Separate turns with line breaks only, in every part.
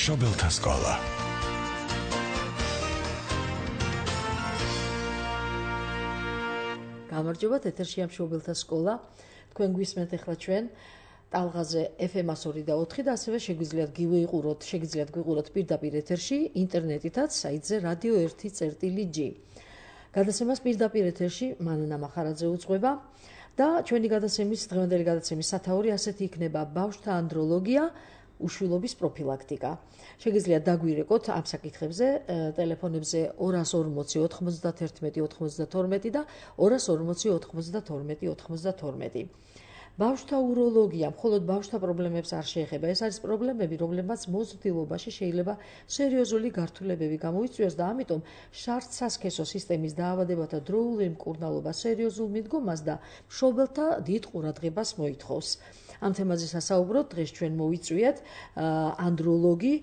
მშობელთა სკოლა.
გამარჯობათ, ეთერშია მშობელთა სკოლა. თქვენ გვისმენთ ახლა ჩვენ ტალღაზე FM 102 და 4 და ასევე შეგიძლიათ გვიყუროთ პირდაპირ ეთერში, ინტერნეტითაც, საიტზე radio1.g. გადაცემას პირდაპირ ეთერში მანუნა მახარაძე უძღვება და ჩვენი დღევანდელი გადაცემის სათაური ასეთი იქნება: ბავშვთა ანდროლოგია, უშვილობის პროფილაქტიკა. შეგიძლიათ დაგვირეკოთ ამ საკითხებზე ტელეფონებზე 240 91 92 და 240 92 92. ბავშვთა უროლოგია მხოლოდ ბავშვთა პრობლემებს არ შეეხება. ეს არის პრობლემები, რომლებმაც მოზრდილობაში შეიძლება სერიოზული გართულებები გამოიწვიოს და ამიტომ შარდ-სასქესო სისტემის დაავადებათა დროული მკურნალობა სერიოზულ მიდგომას და მშობელთა დიდ ყურადღებას მოითხოვს. ამ თემაზე სასაუბროთ დღეს ჩვენ მოვიწვიეთ ანდროლოგი,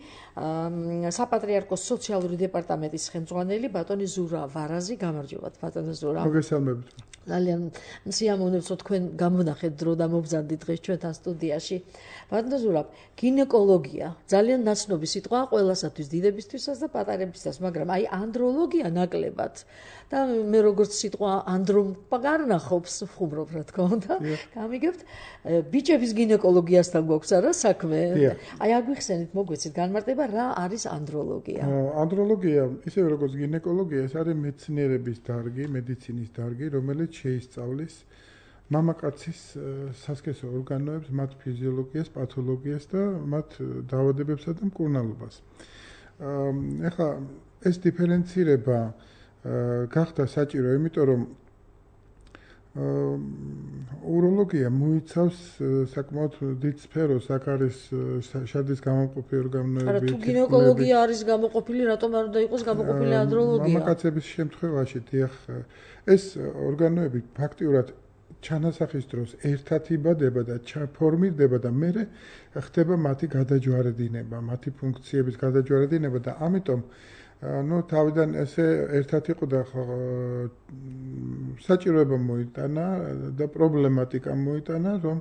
საპატრიარქოს სოციალური დეპარტამენტის ხელმძღვანელი ბატონი ზურა ვარაზი. გამარჯობათ, ბატონო ზურა.
მოგესალმებით.
ძალიან სიამოვნებსო თქვენ გამონახეთ დრო და მობრძანდით დღეს ჩვენთან სტუდიაში. ბატონო ზურა, გინეკოლოგია ძალიან ნაცნობი სიტყვა ყველასათვის, დიდებისთვისაც და პატარებისთვისაც, მაგრამ აი ანდროლოგია ნაკლებად და მე როგორც სიტყვა ანდროპაგარნახობს ხუმრობ რა თქმა უნდა. გამიგებთ, ბიჭების გინეკოლოგიასთან გვაქვს არა საქმე? აი აგვიხსენით, მოგვეცით განმარტება რა არის ანდროლოგია?
ანდროლოგია, ისევე როგორც გინეკოლოგია, ეს არის მეცნიერების დარგი, მედიცინის დარგი, რომელიც შეისწავლის მამაკაცის სასქესო ორგანოებს, მათ ფიზიოლოგიას, პათოლოგიას და მათ დაავადებებსა და მკურნალობას. ეხლა ეს დიფერენცირება გახდა საჭირო, იმიტომ რომ უროლოგია მოიცავს საკმაოდ დიდ სფეროს, აქ არის შარდის გამომყოფი ორგანოები.
არა, თუ გინეკოლოგია არის გამოყოფილი, რატომ არ უნდა იყოს გამოყოფილი ანდროლოგია?
მამაკაცების შემთხვევაში, დიახ, ეს ორგანოები ფაქტიურად ჩანასახის დროს ერთად იბადება და ჩაფორმირდება და მერე ხდება მათი გადაჯვარედინება, მათი ფუნქციების გადაჯვარედინება და ამიტომ თავიდან ესე ერთად იყო და საჭიროება მოიტანა და პრობლემატიკა მოიტანა, რომ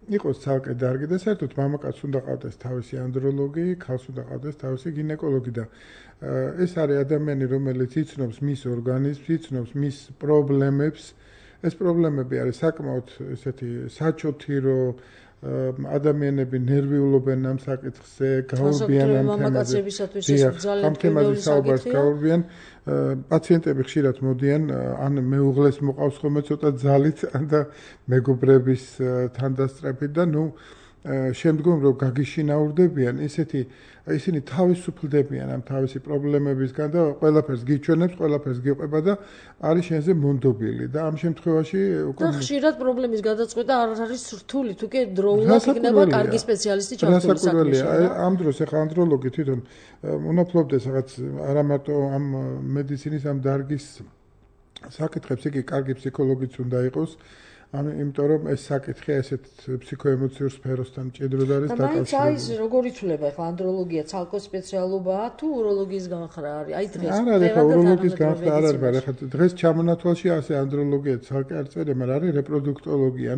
იყოს ცალკე დარგი და საერთოდ მამაკაცს უნდა ყავდეს თავისი ანდროლოგი, ქალს უნდა ყავდეს თავისი გინეკოლოგი და ეს არის ადამიანი, რომელიც იცნობს მის ორგანიზმს, იცნობს მის პრობლემებს. ეს პრობლემები არის საკმაოდ ესეთი საჩოთი, რომ ადამიანები ნერვიულობენ ამ საკითხზე, გაურბიან ამ თემაზე. ამ თემაზე საუბარს გაურბიან. პაციენტები ხშირად მოდიან, ან მეუღლეს მოყავს ხოლმე ცოტა ძალით და მეგობრების თანდასწრებით და შემდგომ რომ გაგიშინაურდებიან, ისინი თავისუფლდებიან ამ თავისი პრობლემებისგან და ყველაფერს გიჩვენებს, ყველაფერს გიყვება და არის შენზე მონდობილი და ამ შემთხვევაში
და ხშირად პრობლემის გადაწყვეტა არ არის რთული, თუ კი დროულად იქნება კარგი სპეციალისტი ჩართული საქმეში.
ამ დროს ახლა ანდროლოგი თვითონ უნაფლობდეს რაღაც არა მარტო ამ მედიცინის ამ დარგის საკითხებს, იგი კარგი ფსიქოლოგიც უნდა იყოს. იმიტომ რომ ეს საკითხი ესეთ ფსიქოემოციურ სფეროსთან მჭიდროდ არის დაკავშირებული.
და მაინც როგორ იცვლება ახლა ანდროლოგია ცალკე სპეციალობაა თუ უროლოგიის განხრა არის? აი დღეს
არა, უროლოგიის განხრა არ არის, მაგრამ ახლა დღეს ჩამონათვალში ასე ანდროლოგია ცალკე არ წერია, მაგრამ არის რეპროდუქტოლოგია,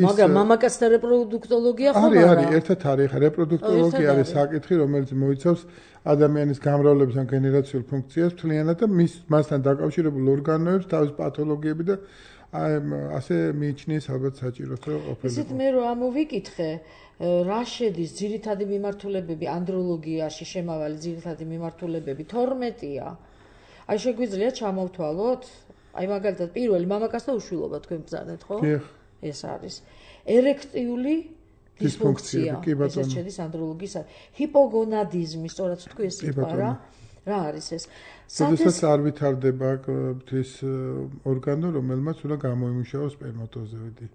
მაგრამ მამაკაცთა რეპროდუქტოლოგია ხო არა?
არის, ერთად არის, ახლა რეპროდუქტოლოგია არის საკითხი, რომელიც მოიცავს ადამიანის გამრავლების ან გენერაციულ ფუნქციას მთლიანად და მასთან დაკავშირებულ ორგანოებს, თავის პათოლოგიები და ასე მიიჩნიეს ალბათ საჭიროს რომ ყოფილიყო.
ისეთ მე რომ ამოვიკითხე, რა შედის ძირითადი მიმართულებები ანდროლოგიაში, შემავალი ძირითადი მიმართულებები 12-ია. აი შეგვიძლია ჩამოვთვალოთ? აი მაგალითად პირველი მამაკაცთა უშვილობა თქვენ ბრძანეთ, ხო? ეს არის ერექტიული დისფუნქცია. ეს შედის ანდროლოგიის. ჰიპოგონადიზმი, სწორად თქვი ეს სიტყვა რა? რა არის ეს?
შესაძლოა არ ვითარდება ეს ორგანო, რომელმაც უნდა გამოიმუშაოს სპერმატოზოიდი.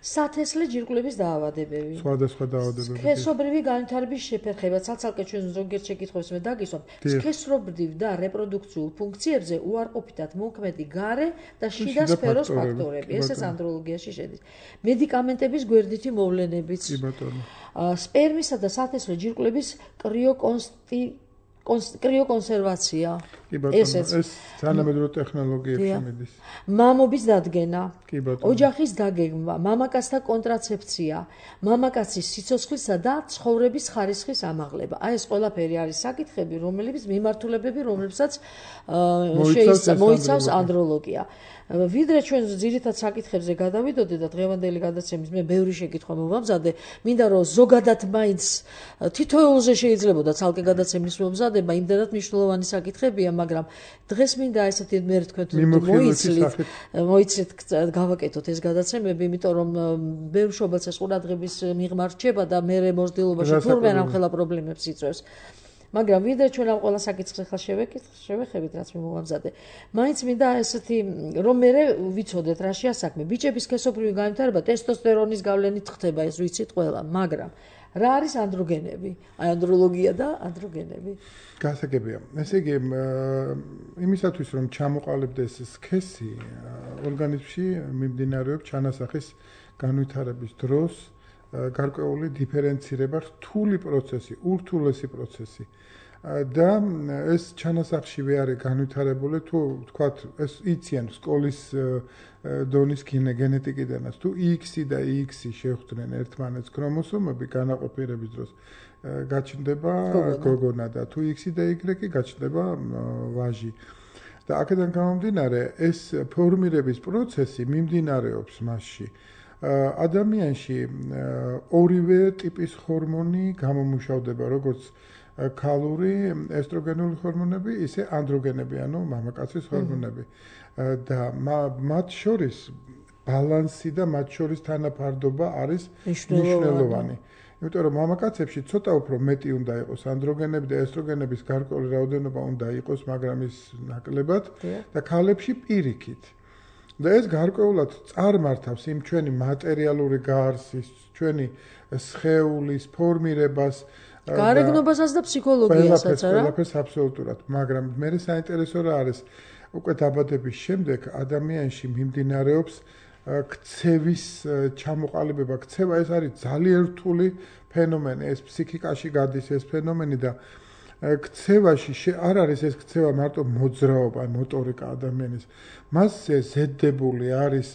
სათესლე ჯირკვლების დაავადებები.
სხვადასხვა დაავადებები.
სქესობრივი განვითარების შეფერხება, ცალკე ჩვენ ზოგიერთ შეკითხვებს მე დაგისვამ. სქესობრივ და რეპროდუქციულ ფუნქციებზე უარყოფითად მოქმედი გარე და შიდა სფეროს ფაქტორები. ესეც ანდროლოგიაში შედის. მედიკამენტების გვერდითი მოვლენებიც. სპერმისა და სათესლე ჯირკვლების კრიოკონსერვაცია.
კი ბატონო, ეს თანამედროვე ტექნოლოგიებში მიდის.
მამობის დადგენა,
კი ბატონო.
ოჯახის დაგეგმვა, მამაკაცთა კონტრაცეფცია, მამაკაცის სიცოცხლისა და ცხოვრების ხარისხის ამაღლება. აი ეს ყველაფერი არის საკითხები, მიმართულებები, რომლებსაც მოიცავს ანდროლოგია. ვიდრე ჩვენ ძირითად საკითხებზე გადავიდოდე და დღევანდელი გადაცემის მე ბევრი შეკითხვა მოვამზადე, მინდა რომ ზოგადად მაინც თითოეულზე შეიძლებოდა ცალკე გადაცემის მომზადება, იმდენად მნიშვნელოვანი საკითხებია, მაგრამ დღეს მინდა ესეთი მე თქვენ მოიცლით გავაკეთოთ ეს გადაცემები, იმიტომ რომ ბევრ შობელს ეს ყურადღების მიღმა რჩება და მე მოსდილობაში თურმე რამხელა პრობლემებს იწვევს. მაგრამ ვიდრე ჩვენ ამ ყველა საკითხს ახლა შევეხებით, რაც მე მოვამზადე. მაინც მინდა ესეთი რომ მე ვიცოდეთ რა შეასაქმე. ბიჭების სქესობრივი განვითარება ტესტოსტერონის გავლენით ხდება, ეს ვიცით ყველა, მაგრამ რა არის ანდროგენები? აი ანდროლოგია და ანდროგენები.
გასაგებია. ესე იგი, იმისათვის რომ ჩამოყალიბდეს სქესი, ორგანიზმში მიმდინარეობს ჩანასახის განვითარების დროს გარკვეული დიფერენცირება, რთული პროცესი, ურთულესი პროცესი. და ეს ჩანასახშივე არის განვითარებული, თუ თქვათ, ეს იციან სკოლის დონის გენეტიკიდანაც, თუ X-ი და Y-ი შეხვდნენ ერთმანეთს ქრომოსომები განაყოფიერების დროს, გაჩნდება გოგონა და თუ X-ი და Y-ი გაჩნდება ვაჟი. და აქედან გამომდინარე, ეს ფორმირების პროცესი მიმდინარეობს მასში. ადამიანში ორივე ტიპის ჰორმონი გამომუშავდება, როგორც ქალური ესტროგენული ჰორმონები, ისე ანდროგენები, ანუ მამაკაცის ჰორმონები. და მათ შორის ბალანსი და მათ შორის თანაფარდობა არის მნიშვნელოვანი. იმიტომ რომ მამაკაცებში ცოტა უფრო მეტი უნდა იყოს ანდროგენები და ესტროგენების გარკვეული რაოდენობა უნდა იყოს, მაგრამ ის ნაკლებად და ქალებში პირიქით. და ეს გარკვეულად წარმართავს იმ ჩვენი მატერიალური გარსის, ჩვენი სხეულის ფორმირებას,
გარეგნობასაც და ფსიქოლოგიასაც, არა?
ყველაფერს აბსოლუტურად, მაგრამ მე საინტერესო რა არის, უკვე დაბადების შემდეგ ადამიანში მიმდინარეობს ქცევის ჩამოყალიბება. ქცევა ეს არის ძალიან რთული ფენომენი, ეს ფსიქიკაში გადის ეს ფენომენი და ქცევაში არ არის ეს ქცევა მარტო მოძრაობა, მოტორიკა ადამიანის. მასზე ზედდებული არის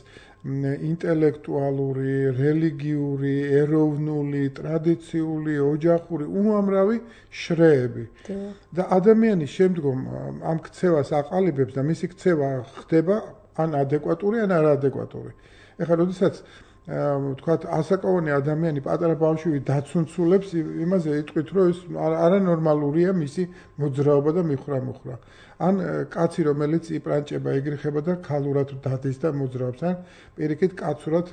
ინტელექტუალური, რელიგიური, ეროვნული, ტრადიციული, ოჯახური, უამრავი შრეები. და ადამიანი შემდგომ ამ ქცევას აყალიბებს და მისი ქცევა ხდება ან ადეკვატური, ან არაადეკვატური. ეხლა როდესაც თქვათ ასაკოვანი ადამიანი პატარა ბავშვი დაცუნცულებს, იმაზე იტყვით, რომ ეს არანორმალურია მისი მოძრაობა და მიხრა-მუხრა. ან კაცი, რომელიც იპრანჭება, იგრიხება და ქალურად დადის და მოძრაობს, ან პირიქით კაცურად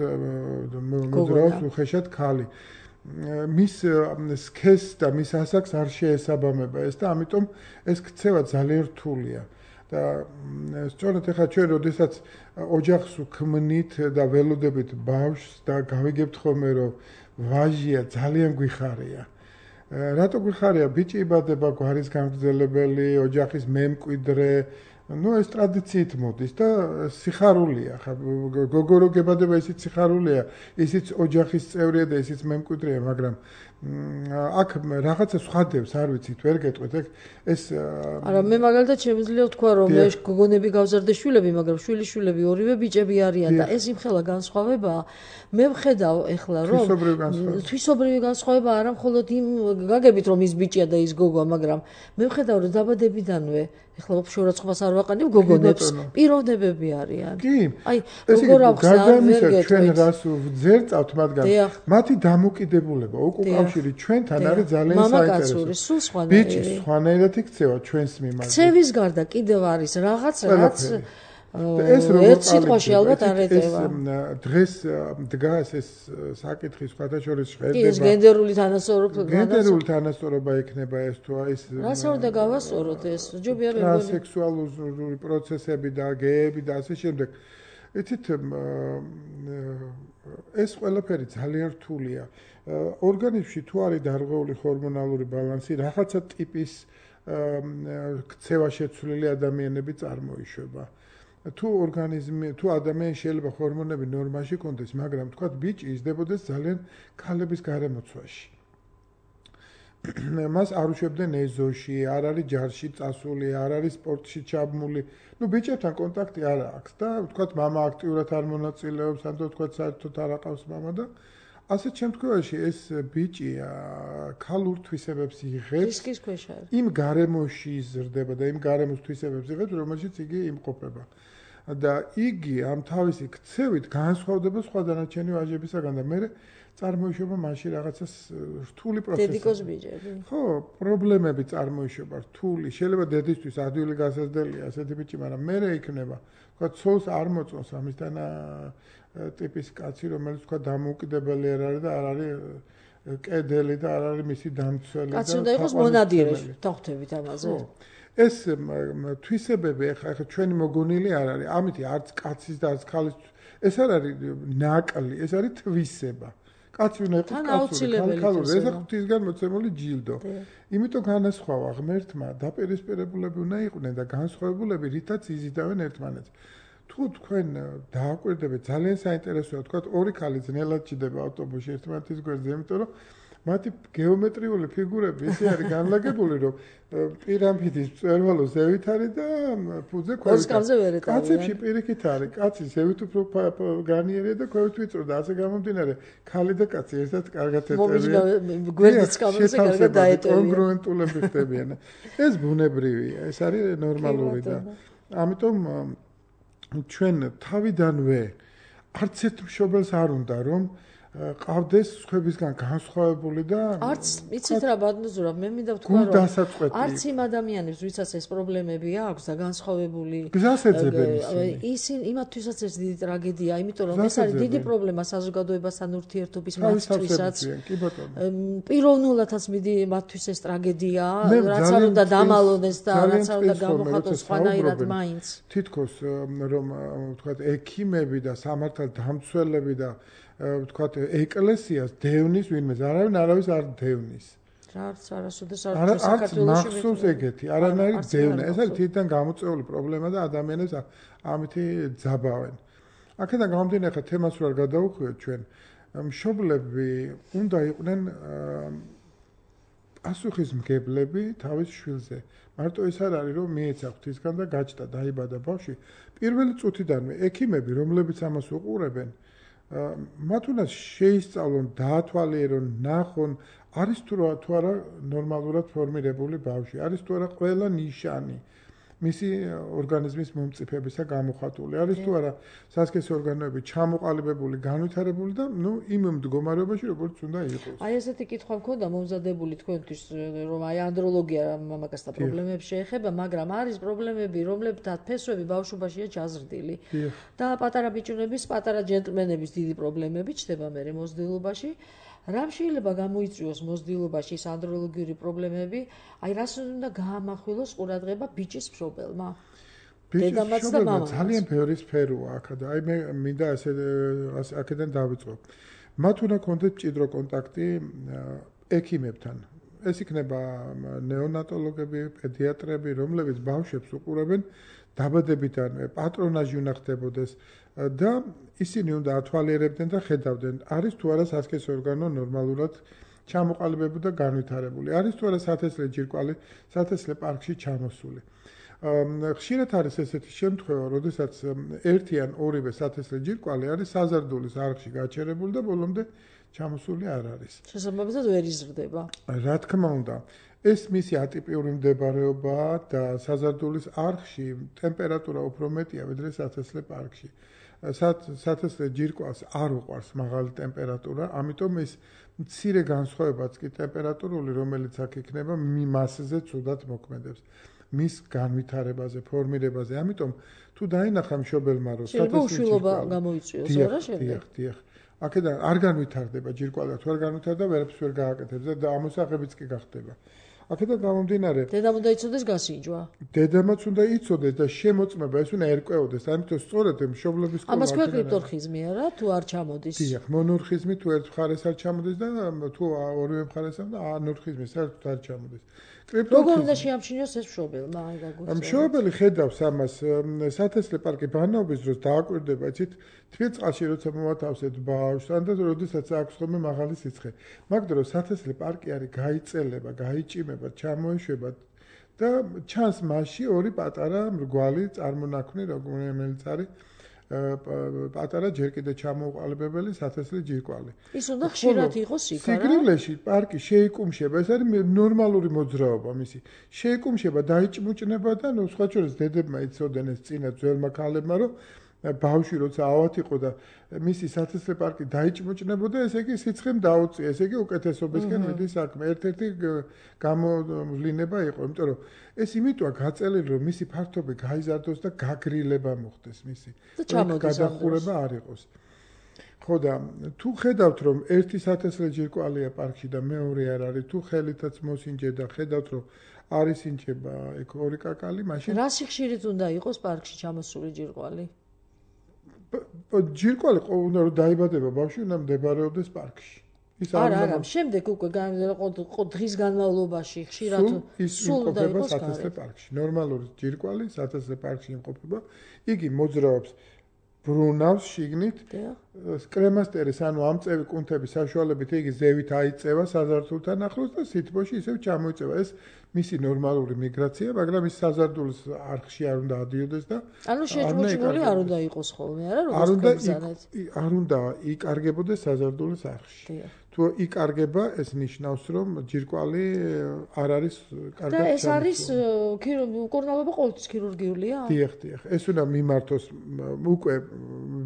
მოძრაობს უხეშად ქალი. მის სქესს და მის ასაკს არ შეესაბამება ეს და ამიტომ ეს ქცევა ძალიან რთულია. და სწორედ ახლა ჩვენ როდესაც ოჯახს უქმნით და ველოდებით ბავშვს და გავიგებთ ხოლმე რომ ვაჟია ძალიან გვიხარია. რატო გვიხარია? ბიჭი იბადება გვარის გამგრძელებელი, ოჯახის მემკვიდრე, ეს ტრადიციით მოდის და სიხარულია. ხა გოგო რო გებადება, ისიც სიხარულია, ისიც ოჯახის წევრია და ისიც მემკვიდრეა, მაგრამ აქ რაღაცა სხვადებს, არ ვიცით, ვერ გეტყვით, ეს
არა, მე მაგალითად შემიძლია ვთქვა, რომ მე გოგონები გავზარდე შვილები, მაგრამ შვილიშვილები ორივე ბიჭები არიან და ეს იმხელა განსხვავებაა. მე ვხედავ ახლა, რომ თვისობრივი განსხვავება არა მხოლოდ იმ გაგებით, რომ ის ბიჭია და ის გოგოა, მაგრამ მე ვხედავ, რომ დაბადებიდანვე ახლა შორაცხობას არ ვაყენებ გოგონებს, პიროვნებები არიან.
კი.
აი, როგორ აქვს არ ვერ გეტყვით.
ჩვენ რას ვძერწავთ მათგან? მათი დამოკიდებულება, უკავშირი ჩვენთან არის ძალიან საინტერესო.
მამაკაცური, სულ სხვანაირი.
ბიჭის სხვანაირად იქცევა ჩვენს მიმართ.
ქცევის გარდა კიდევ არის რაღაც, რაც ერთ სიტყვაში ალბათ არ ეტევა.
დღეს დგას ეს საკითხი სხვათა შორის შეხება.
კი, ეს გენდერული თანასწორობა.
გენდერული თანასწორობა იქნება ეს თუ ის.
რას უნდა გავასწოროთ ეს? ჯობია მე
ტრანსექსუალური პროცესები და გეები და ასე შემდეგ. იცით, ეს ყველაფერი ძალიან რთულია. ორგანიზმში თუ არის დარღვეული ჰორმონალური ბალანსი, რაღაცა ტიპის ქცევა შეცვლილი ადამიანები წარმოიშვება. თუ ადამიანი შეიძლება ჰორმონები ნორმაში კონდეს, მაგრამ თქვათ ბიჭი იზრდებოდეს ძალიან ქალების გარემოცვაში. მას არ უშვებდნენ ეზოში, არ არის ჯარში წასული, არ არის სპორტში ჩაბმული. ბიჭებთან კონტაქტი არ აქვს და ვთქვათ, მამა აქტიურად არ მონაწილეობს, ან ვთქვათ, საერთოდ არ აყავს მამა და ასეთ შემთხვევაში ეს ბიჭი ქალურ თვისებებს იღებს.
რისკის ქვეშ არის.
იმ გარემოში იზრდება და იმ გარემოს თვისებებს იღებს, რომელშიც იგი იმყოფება. და იგი ამ თავისი ქცევით განსხვავდება სხვა დანარჩენი ვაჟებისაგან და მე წარმოიშობა მაშინ რაღაცას რთული პროცესი.
დედიკოს ბიჭები.
ხო, პრობლემები წარმოიშობა რთული. შეიძლება დედისთვის ადვილი გასაზრდელია ასეთი ბიჭი, მაგრამ მე იქნება, თქვა, ცოლს არ მოწონს ამისთან ტიპის კაცი, რომელიც თქვა დამოუკიდებელი არ არის და არ არის კედელი და არ არის მისი დამცველი და
კაცი უნდა იყოს მონადირე, თოხთებით ამაზე.
ეს თვისებები ახლა ჩვენი მოგონილი არ არის. ამითი არც კაცის და არც ხალის ეს არ არის ნაკლი, ეს არის თვისება. კაცი უნდა იყოს კაცური, ხალხური, ეს ღვთისგან მოცემული ჯილდო. იმიტომ განასხვავა ღმერთმა დაპირისპირებულები უნდა იყვნენ და განსხვავებულები, რითაც იზიდავენ ერთმანეთს. თუ თქვენ დააკვირდებით, ძალიან საინტერესოა, თქვა, ორი ქალი ძნელად ჭდება ავტობუსში ერთმანეთის გვერდზე, იმიტომ რომ მათი გეომეტრიული ფიგურები ისე არის განლაგებული, რომ პირამიდის მწვერვალო ზევით არის და ფუძე ქვევით. კაცებში პირიქით არის, კაცი ზევით უფრო განიერია და ქვევით ვიწრო და ასე გამომდინარე, ქალი და კაცი ერთად კარგად ეწევიან.
გვერდიც კამერაზე კარგად დაეტოვიან.
კონგრუენტულები ხდებიან. ეს ბუნებრივია, ეს არის ნორმალური და ამიტომ ჩვენ თავიდანვე არც ერთ მშობელს არ უნდა რომ ყავდეს სხვებისგან განსხვავებული და
არც იცით რა ბატონო მე მინდა ვთქვა რომ არც იმ ადამიანებს ვისაც ეს პრობლემები აქვს და განსხვავებული ისინი იმათვისაც ეს დიდი ტრაგედია იმიტომ რომ ეს არის დიდი პრობლემა საზოგადოებასთან ურთიერთობის მათთვისაც პიროვნულადაც მიდი მათთვის ეს ტრაგედია რაც არ უნდა დამალონეს და რაც არ უნდა გამოხატოს სხვანაირად მაინც
თითქოს რომ ვთქვათ ექიმები და სამართალდამცველები და ვთქვათ ეკლესიას დევნის ვინმე არავის არ დევნის
არც არასოდეს
არ მახსოვს ეგეთი არანაირი დევნა ეს არის თვითონ გამოწვეული პრობლემა და ადამიანებს ამითი ძაბავენ აქედან გამომდინარე ხა თემას რო არ გადავუხვიოთ ჩვენ მშობლები უნდა იყვნენ პასუხისმგებლები თავის შვილზე მარტო ეს არ არის რომ მიეცა ღვთისგან და გაჩნდა დაიბადა ბავშვი პირველი წუთიდანვე ექიმები რომლებიც ამას უყურებენ მათ უნდა შეისწავლონ, დაათვალიერონ, ნახონ, არის თუ არა ნორმალურად ფორმირებული ბავშვი, არის თუ არა ყველა ნიშანი მისი ორგანიზმის მომწიფებისა გამოხატული, არის თუ არა სასქესო ორგანოები ჩამოყალიბებული, განვითარებული და იმ მდგომარეობაში როგორც უნდა იყოს.
აი ესეთი კითხვა მქონდა მომზადებული თქვენთვის, რომ აი ანდროლოგია მამაკაცთა პრობლემებს შეეხება, მაგრამ არის პრობლემები, რომლებთან ფესვები ბავშვობაშია ჩაზრდილი. და პატარა ბიჭუნების, პატარა ჯენტლმენების დიდი პრობლემები ჩდება მერე მოსდილობაში. რამ შეიძლება გამოიწვიოს მოსდილობაში ეს ანდროლოგიური პრობლემები? აი რას უნდა გაამახვილოს ყურადღება ბიჭის მშობელმა? დედამაც და მამამაც.
ძალიან ბევრი სფეროა აქ და აი მე მინდა აქედან დავიწყო. მათ უნდა კონდეთ მჭიდრო კონტაქტი ექიმებთან. ეს იქნება ნეონატოლოგები, პედიატრები, რომლებიც ბავშვებს უყურებენ დაბადებიდანვე, პატრონაჟი უნდა ხდებოდეს და ისინი უნდა ათვალიერებდნენ და ხედავდნენ, არის თუ არა სასქესო ორგანო ნორმალურად ჩამოყალიბებული და განვითარებული, არის თუ არა სათესლე ჯირკვალი სათესლე პარკში ჩამოსული. ხშირად არის ესეთი შემთხვევა, როდესაც ერთი ან ორივე სათესლე ჯირკვალი არის საზარდულის არხში გაჩერებული და ბოლომდე ჩამოსული არ არის.
შესაბამისად ვერ იზრდება.
რა თქმა უნდა, ეს მისი ატიპიური მდებარეობაა და საზარდულის არხში ტემპერატურა უფრო მეტია, ვიდრე სათესლე პარკში. სათესლე ჯირკვალს არ უყვარს მაღალი ტემპერატურა, ამიტომ ის მცირე განსხვავებაც კი ტემპერატურული, რომელიც აქ იქნება, მასზე ცუდად მოქმედებს. მის განვითარებაზე, ფორმირებაზე. ამიტომ თუ დაინახა მშობელმა, რომ
სათესლე უშვილობა გამოიწვიოს, რა შეიძლება?
დიახ. აქედან არ განვითარდება ჯირკვალი, თუ არ განვითარდება, ვერაფერს ვერ გააკეთებს და ამოსაღებიც კი გახდება. აქედან გამომდინარე,
დედამ უნდა იცოდეს გასინჯვა.
დედამაც უნდა იცოდეს და შემოწმება ეს უნდა ერკვეოდეს. ამიტომ სწორედ მშობლების კოლო
ამას ქვეკრიპტ ორხიზმია რა, თუ არ ჩამოდის.
დიახ, მონორხიზმი თუ ერთ მხარეს არ ჩამოდის და თუ ორივე მხარეს და ანორხიზმი საერთოდ არ ჩამოდის.
როგორ უნდა შეამჩნიოს ეს მშობელმა აი გაგუწევთ?
მშობელი ხედავს ამას სათესლე პარკი ბანაობის დროს დააკვირდება, იცით, თბილ წყალში როცა მოვათავსებთ ბავშვს, ან და როდესაც აქვს ხოლმე მაღალი სიცხე. მაგ დროს სათესლე პარკი არის გაიწელება, გაიჭიმება, ჩამოეშვება და ჩანს მასში ორი პატარა მრგვალი წარმონაქმნი, რომელიც არის პატარა ჯერ კიდე ჩამოუყალიბებელი სათესლე ჯირკვალი.
ის უნდა ხშირად იყოს იქ, არა?
სიგრილეში პარკი შეიკუმშება, ეს არის ნორმალური მოძრაობა მისი. შეიკუმშება, დაიჭმუჭნება და ნუ სხვა შორის დედებმა იცოდნენ ეს წინა ძველმა ქალებმა, რომ ბავშვი როცა ავად იყო და მისი სათესლე პარკი დაიჭმუჭნებოდა, ესე იგი სიცხემ დაუწია, ესე იგი უკეთესობისკენ მიდის საქმე. ერთ-ერთი გამოვლინება იყო, იმიტომ რომ ეს იმიტოა გაწელილი, რომ მისი ფართობი გაიზარდოს და გაგრილება მოხდეს მისი. გადახურება არ იყოს. ხო და თუ ხედავთ, რომ ერთი სათესლე ჯირკვალია პარკში და მეორე არ არის, თუ ხელითაც მოსინჯე და ხედავთ, რომ არის ინჯება ეგ ორი კაკალი, მაშინ
რა სიხშირით უნდა იყოს პარკში ჩამოსული ჯირკვალი?
ჯირკვალი უნდა რომ დაიბადება ბავშვი, უნდა მდებარეობდეს პარკში.
არა, შემდეგ უკვე დღის განმავლობაში ხშირად
სულ უნდა იყოს სათესლე პარკში. ნორმალური ჯირკვალი სათესლე პარკში იმყოფება. იგი მოძრაობს ბრუნავს შიგნით კრემასტერის ანუ ამწევი კუნთების საშუალებით იგი ზევით აიწევა საზარდულთან ახლოს და სითბოში ისევ ჩამოიწევა. ეს მისი ნორმალური მიგრაცია, მაგრამ ის საზარდულის არხში არ უნდა ადიოდეს და
ანუ შეჭმუჭმული არ უნდა იყოს ხოლმე, არა, როგორც გაგზავნეთ.
არ უნდა იკარგებოდეს საზარდულის არხში. თუ იკარგება, ეს ნიშნავს, რომ ჯირკვალი არ არის კარგად
და ეს არის მკურნალობა ყოველთვის ქირურგიულია?
დიახ. ეს უნდა მიმართოს უკვე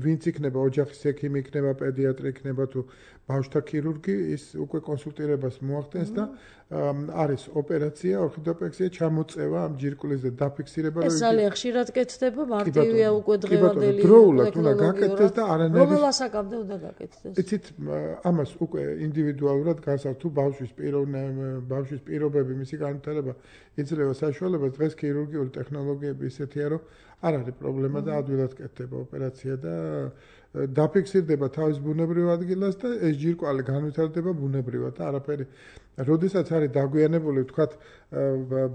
ვინც იქნება ოჯახის ექიმი იქნება, პედიატრი იქნება თუ ბავშვთა ქირურგი, ის უკვე კონსულტირებას მოახდენს და არის ოპერაცია, ორთოპექსია, ჩამოწევა ამ ჯირკვლის და დაფიქსირება.
ეს ძალიან ხშირად კეთდება, მარტივია უკვე დღევანდელი
დროულად უნდა გაკეთდეს და არანაირი
რომელ ასაკამდე უნდა გაკეთდეს?
იცით, ამას უკვე ინდივიდუალურად განსაზღვრავს თუ ბავშვის პირობები, მისი განვითარება იძლევა საშუალებას. დღეს ქირურგიული ტექნოლოგიები ისეთია, რომ არ არის პრობლემა და ადვილად კეთდება ოპერაცია და დაფიქსირდება თავის ბუნებრივ ადგილას და ეს ჯირკვალი განვითარდება ბუნებრივად და არაფერი. როდესაც არის დაგვიანებული, ვთქვათ,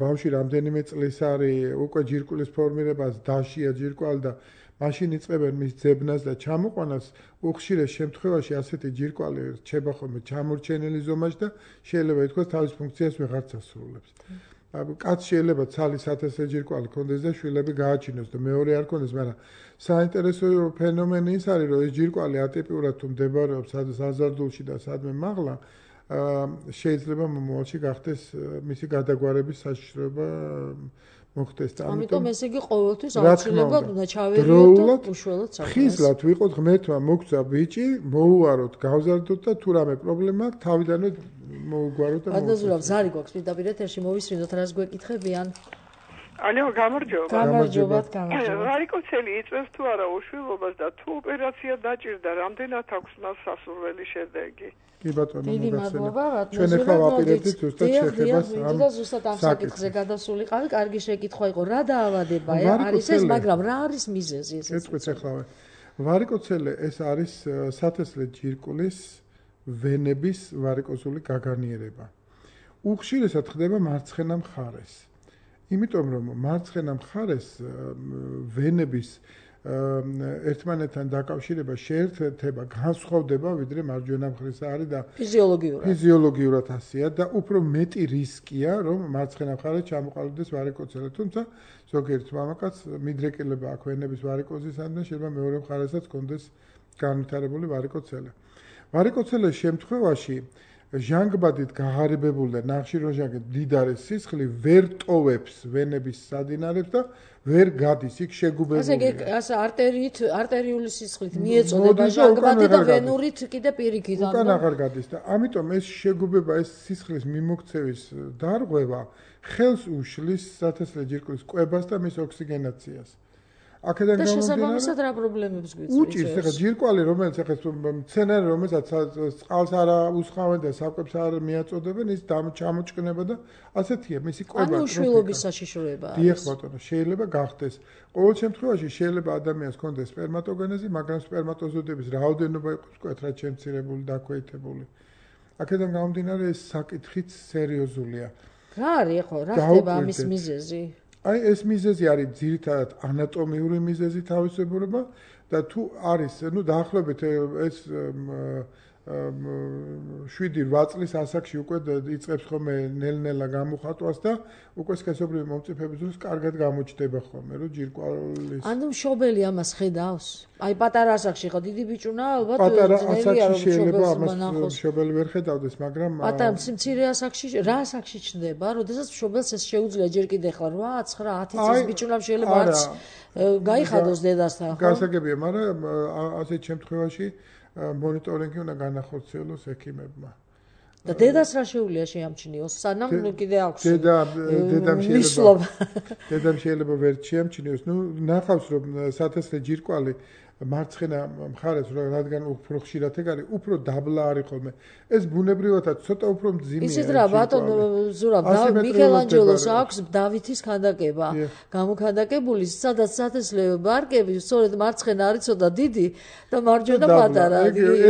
ბავშვი რამდენიმე წლის არის, უკვე ჯირკვლის ფორმირებას დაშია ჯირკვალი და მაშინ იწყებენ მის ძებნას და ჩამოყვანას, უხშირეს შემთხვევაში ასეთი ჯირკვალი რჩება ხოლმე ჩამორჩენილი ზომაში და შეიძლება ითქვას თავის ფუნქციას ვეღარც ასრულებს. კაცს შეიძლება ცალი სათესლე ჯირკვალი ქონდეს და შვილები გააჩინოს და მეორე არ ქონდეს, მაგრამ საინტერესო ფენომენი ის არის, რომ ეს ჯირკვალი ატიპიურად თუ მდებარეობს საზარდულში და სადმე მაღლა, შეიძლება მომავალში გახდეს მისი გადაგვარების საშიშროება მოხდეს და
ამიტომ ესე იგი ყოველთვის აუცილებლად უნდა ჩავერიოთ და უშუალოდ საქმეს.
ხიზლად ვიყოთ ღმერთმა მოგცა ბიჭი, მოუაროთ, გავზარდოთ და თუ რამე პრობლემა აქვს, თავიდანვე მოუგვაროთ და
ადაზურაბ ზარი გვაქვს პირდაპირ ეთერში მოვისმინოთ რას გვეკითხებიან.
ალო, გამარჯობა.
გამარჯობათ.
ვარიკოცელი იწევს თუ არა უშვილობას და თუ ოპერაცია დაჭირდა, რამდენად აქვს მას სასურველი შედეგი?
კი ბატონო,
დიდი მადლობა,
ჩვენ ახლა ვაპირებდით ზუსტად შეხებას
ამ ზუსტად ამ საკითხზე გადასულიყავი. კარგი შეკითხვა იყო, რა დაავადებაა არის ეს, მაგრამ რა არის მიზეზი ეს?
ეწყვეტ ახლავე. ვარიკოცელი ეს არის სათესლე ჯირკვლის ვენების ვარიკოზული გაგანიერება. უხშირესად ხდება მარცხენა მხარეს. იმიტომ რომ მარცხენა მხარეს ვენების ერთმანეთთან დაკავშირება შეერთება, განსხვავდება ვიდრე მარჯვენა მხარეს არის და ფიზიოლოგიურად ასეა და უფრო მეტი რისკია რომ მარცხენა მხარეს ჩამოყალიბდეს ვარიკოცელი. თუმცა ზოგიერთ მამაკაცს მიდრეკილება აქვს ვენების ვარიკოზისადმი, შეიძლება მეორე მხარესაც ჰქონდეს განვითარებული ვარიკოცელი. ვარიკოცელის შემთხვევაში ჟანგბადით გაღარიბებული და ნახშირორჟანგით მდიდარი სისხლი ვერ ტოვებს ვენების სადინარებს და ვერ გადის, იქ შეგუბებულია.
ასე არტერიული სისხლით მიეწოდება ჟანგბადი და ვენურით კიდე პირიქით.
უკან აღარ გადის და ამიტომ ეს შეგუბება, ეს სისხლის მიმოქცევის დარღვევა ხელს უშლის სათესლე ჯირკვლის კვებას და მის ოქსიგენაციას. აქედან
და შესაბამისად რა პრობლემებს გვიწევს?
უჭირს ახლა ჯირკვალი, რომელიც ახლა მცენარე, რომელსაც წყალს არ უსხავენ და საკვებს არ მიაწოდებენ, ის ჩამოჭკნება და ასეთია მისი კვება.
ანუ უშვილობის საშიშროება არის.
დიახ ბატონო, შეიძლება გახდეს. ყოველ შემთხვევაში შეიძლება ადამიანს ჰქონდეს სპერმატოგენეზი, მაგრამ სპერმატოზოიდების რაოდენობა იყოს ვთქვათ რა შემცირებული, დაქვეითებული. აქედან გამომდინარე ეს საკითხიც სერიოზულია.
რა არის ხო? რა ხდება ამის მიზეზი?
აი ეს მიზეზი არის ძირითადად ანატომიური მიზეზი თავისებურება და თუ არის, დაახლოებით ეს 7-8 წლის ასაკში უკვე იწყებს ხოლმე ნელ-ნელა გამოხატვას და უკვე სქესობრივი მომწიფების დროს კარგად გამოჩნდება ხოლმე, რომ ჯირკვალის.
ანუ მშობელი ამას ხედავს? აი პატარა ასაკში ხო დიდი ბიჭუნა ალბათ
პატარა ასაკში შეიძლება ამას მშობელი ვერ ხედავდეს, მაგრამ
პატარა მცირე ასაკში რა ასაკში ჩნდება? როდესაც მშობელს ეს შეუძლია ჯერ კიდე ხარ 8, 9, 10 წლის ბიჭუნამ შეიძლება არც გაიხადოს დედასთან, ხო?
გასაგებია, მაგრამ ასეთ შემთხვევაში მონიტორინგი უნდა განახორციელოს ექიმებმა.
და დედას რა შეუძლია შეამჩნიოს? სანამ კიდე აქვს.
დედამ შეიძლება ვერ შეამჩნიოს. ნახავს რომ სათესლე ჯირკვალი მარცხენა მხარეს რადგან უფრო ხშირად ეგ არის, უფრო დაბლა არის ხოლმე. ეს ბუნებრივადაც ცოტა უფრო მძიმეა.
ისეთ რა ბატონო ზურაბ, მიქელანჯელოს აქვს დავითის ქანდაკება. გამოქანდაკებული, სადაც სათესლე ბარკები სწორედ მარცხენა არის ცოტა დიდი და მარჯვენა პატარა.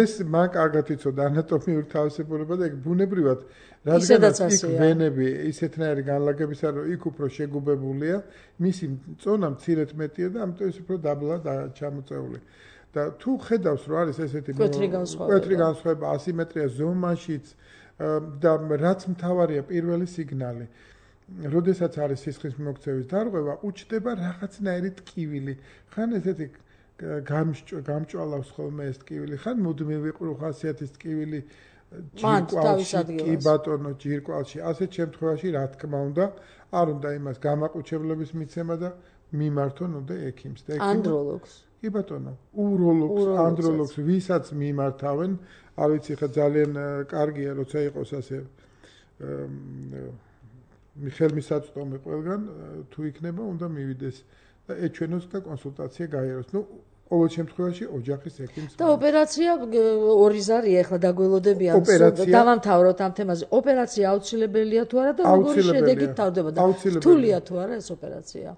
ეს მან კარგად იცოდა ანატომიური თავისებურება და ეგ ბუნებრივად რადგანაც იქ ვენები ისეთნაირი განლაგებისა, რომ იქ უფრო შეგუბებულია, მისი წონა მცირედ მეტია და ამიტომ ის უფრო დაბლა ჩამოწეული. და თუ ხედავს, რომ არის ესეთი მკვეთრი განსხვავება ასიმეტრია ზომაშიც და რაც მთავარია პირველი სიგნალი. როდესაც არის სისხლის მიმოქცევის დარღვევა, უჩნდება რაღაცნაირი ტკივილი. ხან ესეთი გამჭვალავს ხოლმე ეს ტკივილი, ხან მუდმივი ხასიათის ტკივილი ჯირკვალში, კი ბატონო, ჯირკვალში. ასეთ შემთხვევაში რა თქმა უნდა, არ უნდა იმას გამაყუჩებლების მიცემა და მიმართონ უნდა ექიმს და
ანდროლოგს.
კი ბატონო, უროლოგს, ანდროლოგს, ვისაც მიმართავენ, არ ვიცი ხა ძალიან კარგია, როცა იყოს ასე ხელმისაწვდომი ყველგან, თუ იქნება, უნდა მივიდეს და ეჩვენოს და კონსულტაცია გაიაროს. ყოველ შემთხვევაში ოჯახის ექიმს
და ოპერაცია ორი ზარია ახლა დაგველოდებიან დავამთავროთ ამ თემაზე. ოპერაცია აუცილებელია თუ არა და როგორი შედეგით თავდება და რთულია თუ არა ეს ოპერაცია?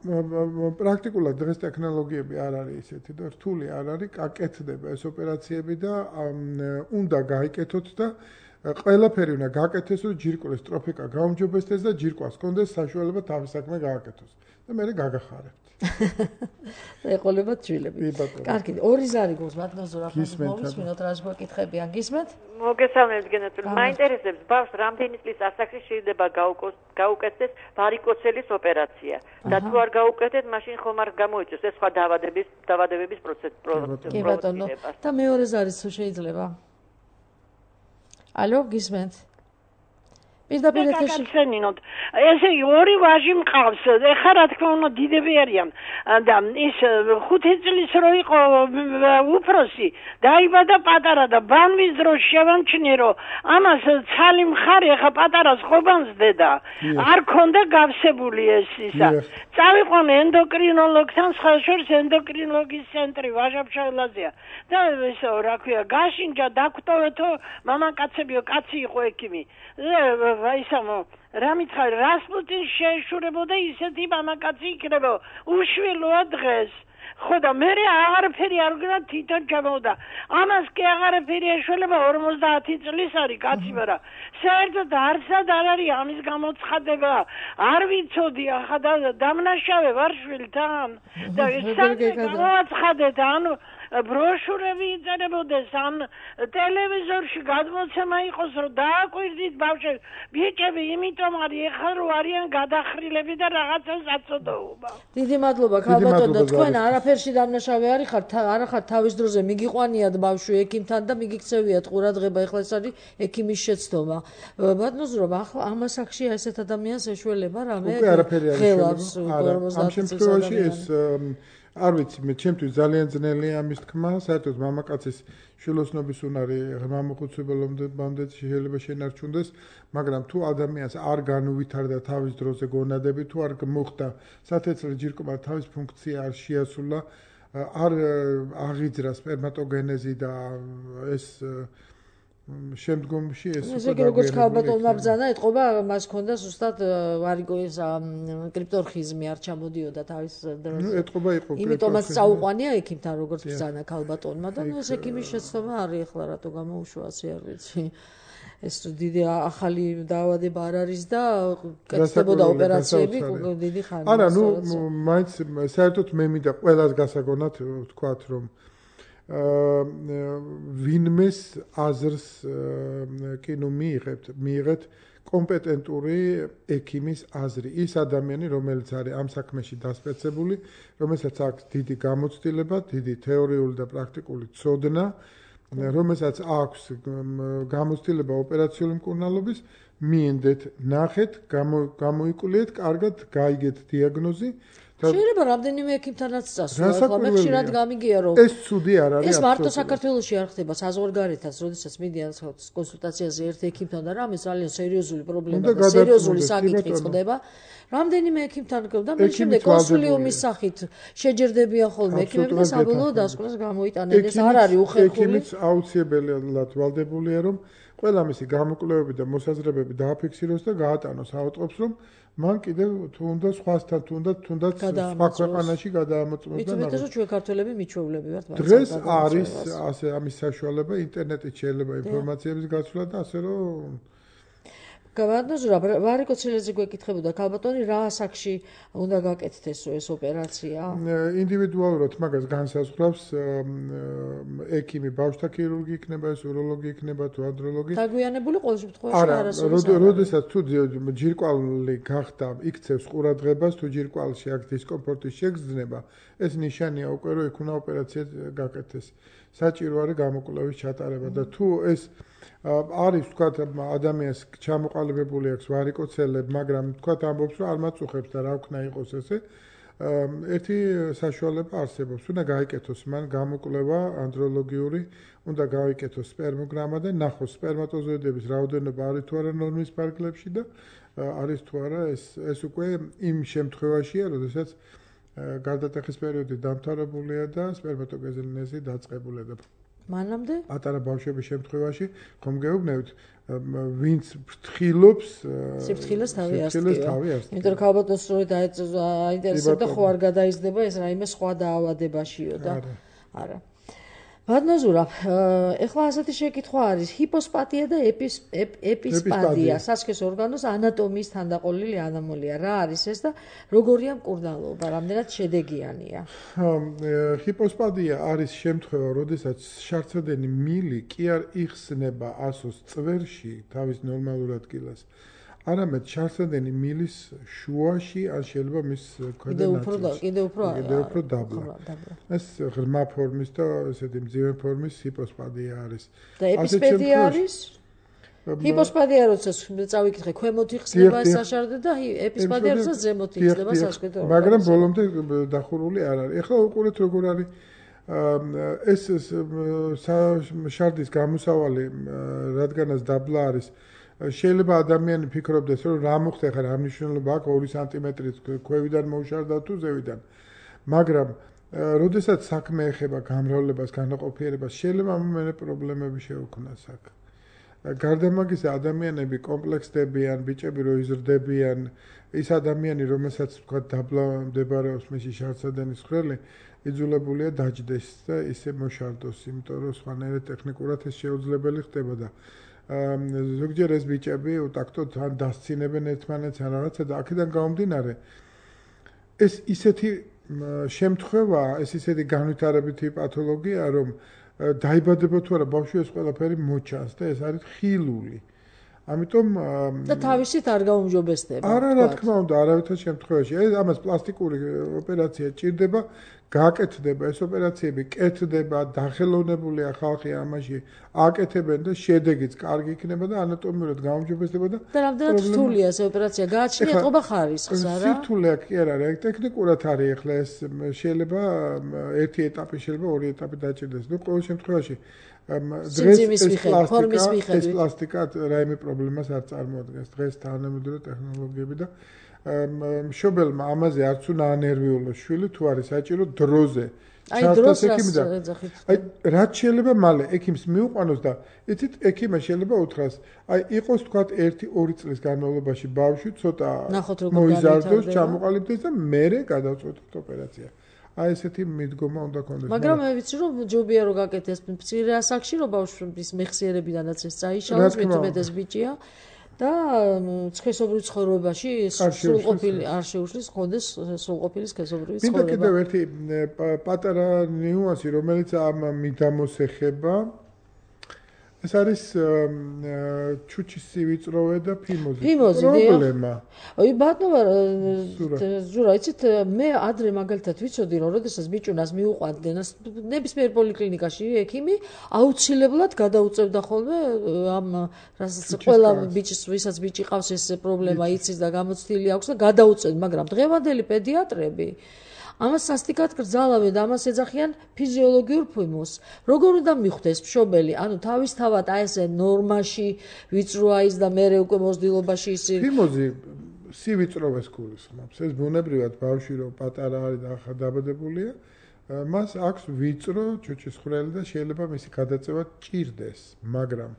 პრაქტიკულად დღეს ტექნოლოგიები არ არის ისეთი და რთული არ არის, გაკეთდება ეს ოპერაციები და უნდა გაიკეთოთ და ყველაფერი უნდა გაკეთდეს, რომ ჯირკვლის ტროფიკა გაუმჯობესდეს და ჯირკვალს კონდეს საშუალება თავის საქმე გააკეთოს და მე გაგახარებთ.
ეყოლებათ ჩვილები. კარგი, ორი ზარი გვაქვს ბატონო ზურაბ, მოვისმინოთ რა გვეკითხებიან, გისმენთ?
მოგესალმებით გენეტული. მაინტერესებს ბავშვს რამდენი წლის ასაკში შეიძლება გაუკეთდეს ვარიკოცელის ოპერაცია და თუ არ გაუკეთდეს, მაშინ ხომ არ გამოიწვევს ეს სხვა დაავადებების პროცესი.
კი ბატონო. და მეორე ზარიც თუ შეიძლება? ალო, გისმენთ? პირდაპირ ეთერში
გაგაცნინოთ. ესე იგი ორი ვაჟი მყავს. ეხლა რა თქმა უნდა დიდები არიან და ის 5 წლის რო იყო უფროსი, დაიბადა პატარა და ბანვის დროს შევამჩნიე რომ ამას ცალი მხარი ეხლა პატარას ხობანს დედა. არ ქონდა გავსებული ეს ისა. წავიყვან ენდოკრინოლოგთან, სხვაშორის ენდოკრინოლოგის ცენტრი ვაჟა-ფშაველაზეა. და ისო რა ქვია, გაშინჯა დაგვტოვეთო მამაკაცებიო, კაცი იყო ექიმი. ისამო რა მითხარი რასპუტინს შეეშურებოდა ისეთი მამაკაცი იქნება უშვილოა დღეს ხო და მე აღარაფერი არ გქონდა თვითონ ჩამოვდა ამას კი აღარაფერი ეშველება 50 წლის არის კაცი მაგრამ საერთოდ არცად არ არის ამის გამოცხადება არ ვიცოდი ახლა დამნაშავე ვარ შვილთან და გამოაცხადეთ ანუ ბროშურები იწერებოდეს ან ტელევიზორში გადმოცემა იყოს რომ დააკვირდით ბავშვებს ბიჭები იმიტომ არის ეხლა რო არიან გადახრილები და რაღაცას აწოდოობა.
დიდი მადლობა ქალბატონო თქვენ არაფერში დამნაშავე არ ხართ თავის დროზე მიგიყვანიათ ბავშვი ექიმთან და მიგიქცევიათ ყურადღება ეხლა ეს არის ექიმის შეცდომა. ბატონო ზურაბ ახლა ამ ასაკში ესეთ ადამიანს ეშველება რამე ხელავს 50
შემთხვევაში ეს არ ვიცი მე ჩემთვის ძალიან ძნელია ამის თქმა საერთოდ მამაკაცის შვილოსნობის უნარი ღრმამოხუცებელობამდე შეიძლება შენარჩუნდეს მაგრამ თუ ადამიანს არ განუვითარდა თავის დროზე გონადები თუ არ მოხდა სათესლე ჯირკვლა თავის ფუნქცია არ შეასრულა არ აღიძრა სპერმატოგენეზი და ეს შემდგომში ეს
უკვე როგორც ქალბატონმა ბრძანა ეთყობა მას ქონდა ზუსტად ვარიკოის კრიპტორხიზმი არ ჩამოდიოდა თავის დროზე.
ეთყობა იყო.
იმიტომაც წაუყვანია ექიმთან როგორც ბრძანა ქალბატონმა და ეს ექიმის შეცდომა არის ახლა რატო გამოუშვა ასე არ ვიცი. ეს დიდი ახალი დაავადება არ არის და კეთდებოდა ოპერაციები დიდი ხანი.
არა, მაინც საერთოდ მე მინდა ყველას გასაგონად ვთქვათ, რომ ვინმეს აზრს კი მიიღეთ კომპეტენტური ექიმის აზრი. ის ადამიანი, რომელიც არის ამ საქმეში დასპეცებული, რომელსაც აქვს დიდი გამოცდილება, დიდი თეორიული და პრაქტიკული ცოდნა, რომელსაც აქვს გამოცდილება ოპერაციული მკურნალობის, მიენდეთ, ნახეთ, გამოიკულიეთ, კარგად გაიგეთ დიაგნოზი.
შეიძლება რამდენიმე ექიმთანაც წასვლა, ახლა მე ხშირად გამიგია რომ
ეს ცუდი არ არის.
ეს მარტო საქართველოში არ ხდება, საზღვარგარეთაც, როდესაც მიდიან კონსულტაციაზე ერთ ექიმთან და რამე ძალიან სერიოზული პრობლემა და სერიოზული საკითხი ხდება. რამდენიმე ექიმთან და მე შემდეგ კონსულიუმის სახით შეჯერდებიან ხოლმე ექიმები და საბოლოო დასკვნას გამოიტანენ. ეს არ არის უხერხული.
ექიმიც აუცილებლად ვალდებულია რომ ყველა მისი გამოკვლევები და მოსაზრებები დააფიქსიროს და გაატანოს ავადმყოფს, რომ მან კიდევ თუნდა სხვასთან, თუნდაც სხვა ქვეყანაში გადაამოწმოს და
მithumetes რომ ჩვენ ქართველები მიჩვეულები ვართ
მაგას. დღეს არის ასე ამის საშუალება, ინტერნეტით შეიძლება ინფორმაციების გაცვლა და ასე რომ
გავადნოზურა ვარიკო ცელეზე გვეკითხებოდა ქალბატონი რა ასაკში უნდა გაკეთდეს ეს ოპერაცია?
ინდივიდუალურად მაგას განსაზღვრავს ექიმი, ბავშვთა ქირურგი იქნება, ეს უროლოგი იქნება თუ ანდროლოგი.
დაგვიანებული ყოველ შემთხვევაში
არასოდეს. როდესაც თუ ჯირკვალი გახდა, იქცევს ყურადღებას, თუ ჯირკვალში აქვს დისკომფორტის შეგრძნება, ეს ნიშანია უკვე რომ იქ უნდა ოპერაცია გაკეთდეს. საჭირო არის გამოკვლევის ჩატარება და თუ ეს არის თქვათ ადამიანს ჩამოყალიბებული აქვს ვარიკოცელები, მაგრამ თქვათ ამბობს რომ არ მაწუხებს და რა ვქნა იყოს ესე. ერთი საშუალება არსებობს, უნდა გაიკეთოს მან გამოკვლევა ანდროლოგიური, უნდა გაიკეთოს სპერმოგრამა და ნახოს სპერმატოზოიდების რაოდენობა არის თუ არა ნორმის ფარგლებში და არის თუ არა ეს უკვე იმ შემთხვევაშია, როდესაც გარდატეხის პერიოდი დამთავრებულია და სპერმატოგენეზი დაწყებულია და
მანამდე?
პატარა ბავშვების შემთხვევაში ხომ გეუბნებით, ვინც ფრთხილობს,
სიფრთხილეს თავი ასწია. იმიტომ რომ ქალბატონს რო აინტერესებდა ხო არ გადაიზრდება ეს რაიმე სხვა დაავადებაშიო და არა. ბადნოზურა, ეხლა ასეთი შეკითხვა არის, ჰიპოსპათია და ეპისპადია, სასქეს ორგანოს ანატომიის თანდაყოლილი ანომალია. რა არის ეს და როგორია მკურნალობა, რამდენად შედეგიანია?
ჰიპოსპადია არის შემთხვევა, როდესაც შარცადენი მილი კი არ იხსნება ასოს წვერში თავის ნორმალურ ადგილას. არამედ შარცადენი მილის შუაში ან შეიძლება მის ქვედა ნაწილში. კიდევ უფრო დაბლა. ეს ღრმა ფორმის და ესეთი მძიმე ფორმის ჰიპოსპადია არის.
და ეპისპედია არის? ჰიპოსპადია როცა წავიკითხე, ქვემოთ იხსნება საშარდე და ეპისპადია როცა ზემოთ იხსნება სასქესო.
მაგრამ ბოლომდე დახურული არ არის. ეხლა უყურეთ როგორ არის ეს შარდის გამოსავალი, რადგანაც დაბლა არის. შეიძლება ადამიანი ფიქრობდეს, რომ რა მოხდა ხარ, რა მნიშვნელობა აქვს 2 სანტიმეტრის ქვევიდან მოუშარდა თუ ზევიდან. მაგრამ როდესაც საქმე ეხება გამრავლებას, განაყოფიერებას, შეიძლება მომენე პრობლემები შეუქმნას აქ. გარდა ამისა, ადამიანები კომპლექსდებიან, ბიჭები რო იზრდებიან, ის ადამიანი, რომელსაც თქვა დაბლა მდებარეობს მისი შარცადენის ხრელი, იძულებულია დაჯდეს და ისე მოშარდოს, იმიტომ რომ სხვანაირად ტექნიკურად ეს შეუძლებელი ხდება და ზოგჯერ ეს ბიჭები უტაქტოდ ან დასცინებენ ერთმანეთს ან რაღაცა და აქედან გამომდინარე ეს ისეთი შემთხვევაა, ეს ისეთი განვითარებითი პათოლოგია, რომ დაიბადება თუ არა ბავშვი ეს ყველაფერი მოჩანს და ეს არის ხილული. ამიტომ
და თავისით არ გაუმჯობესდება.
არა, რა თქმა უნდა, არავითარ შემთხვევაში. ამას პლასტიკური ოპერაცია ჭირდება, გააკეთდება ეს ოპერაციები, კეთდება, დახელოვნებულია ხალხი ამაში, აკეთებენ და შედეგიც კარგი იქნება და ანატომიურად გაუმჯობესდება და
რამდენად რთულია ეს ოპერაცია? გააჩნია ყობა ხარისხს, არა?
სირთულეა კი არ არის, ტექნიკურად არის ახლა ეს შეიძლება ერთი ეტაპი, შეიძლება ორი ეტაპი დაჭირდეს. ნუ ყოველ შემთხვევაში დღეს ეს პლასტიკა რაიმე პრობლემას არ წარმოადგენს. დღეს თანამედროვე ტექნოლოგიები და მშობელმა ამაზე არც უნდა ანერვიულოს შვილი თუ არის საჭირო დროზე.
აი დროს ეძახით.
აი რაც შეიძლება მალე ექიმს მიუყვანოს და იცით ექიმმა შეიძლება უთხრას, აი იყოს თქვათ 1-2 წლის განმავლობაში ბავშვი ცოტა მოიზარდოს, ჩამოყალიბდეს და მერე გადავწყვეტოთ ოპერაცია. აი ესეთი მიდგომა უნდა კონდეს.
მაგრამ მე ვიცი რომ ჯობია რომ გაკეთდეს მცირე ასაკში რომ ბავშვის მეხსიერებიდანაც ეს წაიშალოს მეტუმეტეს ბიჭია და სქესობრივ ცხოვრებაში სრულყოფილი არ შეუშლის ხონდეს სრულყოფილი სქესობრივი ცხოვრება.
მინდა კიდევ ერთი პატარა ნიუანსი რომელიც ამ მიდამოს ეხება ეს არის ჩუჩის სივიწროვე და ფიმოზი პრობლემა.
ой ბატონო ზურა იცით მე ადრე მაგალითად ვიცოდი რომ როდესაც ბიჭუნას მიუყვანდნენ ნებისმიერ პოლიკლინიკაში ექიმი აუცილებლად გადაუწევდა ხოლმე ამ რასაც ყველა ბიჭის ვისაც ბიჭი ყავს ეს პრობლემა იცის და გამოცდილი აქვს და გადაუწევთ მაგრამ დღევანდელი პედიატრები ამას სასტიკად გრძალავენ და ამას ეძახიან ფიზიოლოგიურ ფიმოზს. როგორ უნდა მიხვდეს მშობელი, ანუ თავისთავად აი ესე ნორმაში ვიწროა ის და მე უკვე მოსდილობაში ისი
ფიმოზი სივიწროვეს გულისხმობს. ეს ბუნებრივად ბავშვი რომ პატარა არის და ახლა დაბადებულია, მას აქვს ვიწრო ჩუჩის ხვრელი და შეიძლება მისი გადაწევა ჭირდეს, მაგრამ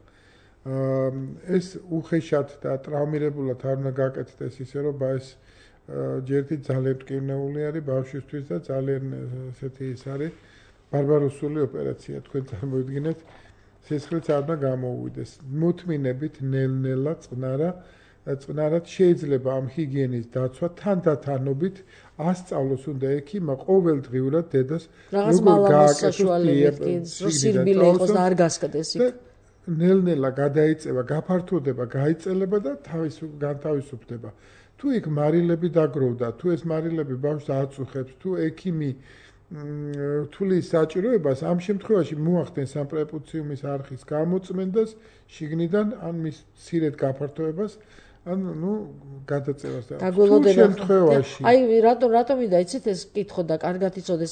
ეს უხეშად და ტრაუმირებულად არ უნდა გაკეთდეს ისე რომ ეს ჯერტი ძალიან მტკივნეული არის ბავშვისთვის და ძალიან ესეთი ის არის ბარბაროსული ოპერაცია თქვენ წარმოიდგინეთ სისხლიც არ უნდა გამოუვიდეს მოთმინებით ნელ-ნელა წყნარად შეიძლება ამ ჰიგიენის დაცვა თანდათანობით ასწავლოს უნდა ექიმა ყოველდღიურად დედას
როგორ გააკეთოს სირბილე იყოს და არ გასკდეს იქ
ნელ-ნელა გადაიწევა გაფართოვდება გაიწელება და განთავისუფლდება თუ იქ მარილები დაგროვდა, თუ ეს მარილები ბავშვს აწუხებს, თუ ექიმი რთულის საჭიროებას, ამ შემთხვევაში მოახდენს ამ პრეპუციუმის არხის გამოწმენდას შიგნიდან ან მის მცირედ გაფართოებას, ან გადაწევას და
თუ შემთხვევაში. აი რატომ მინდა იცით ეს კითხო და კარგად იცოდეს,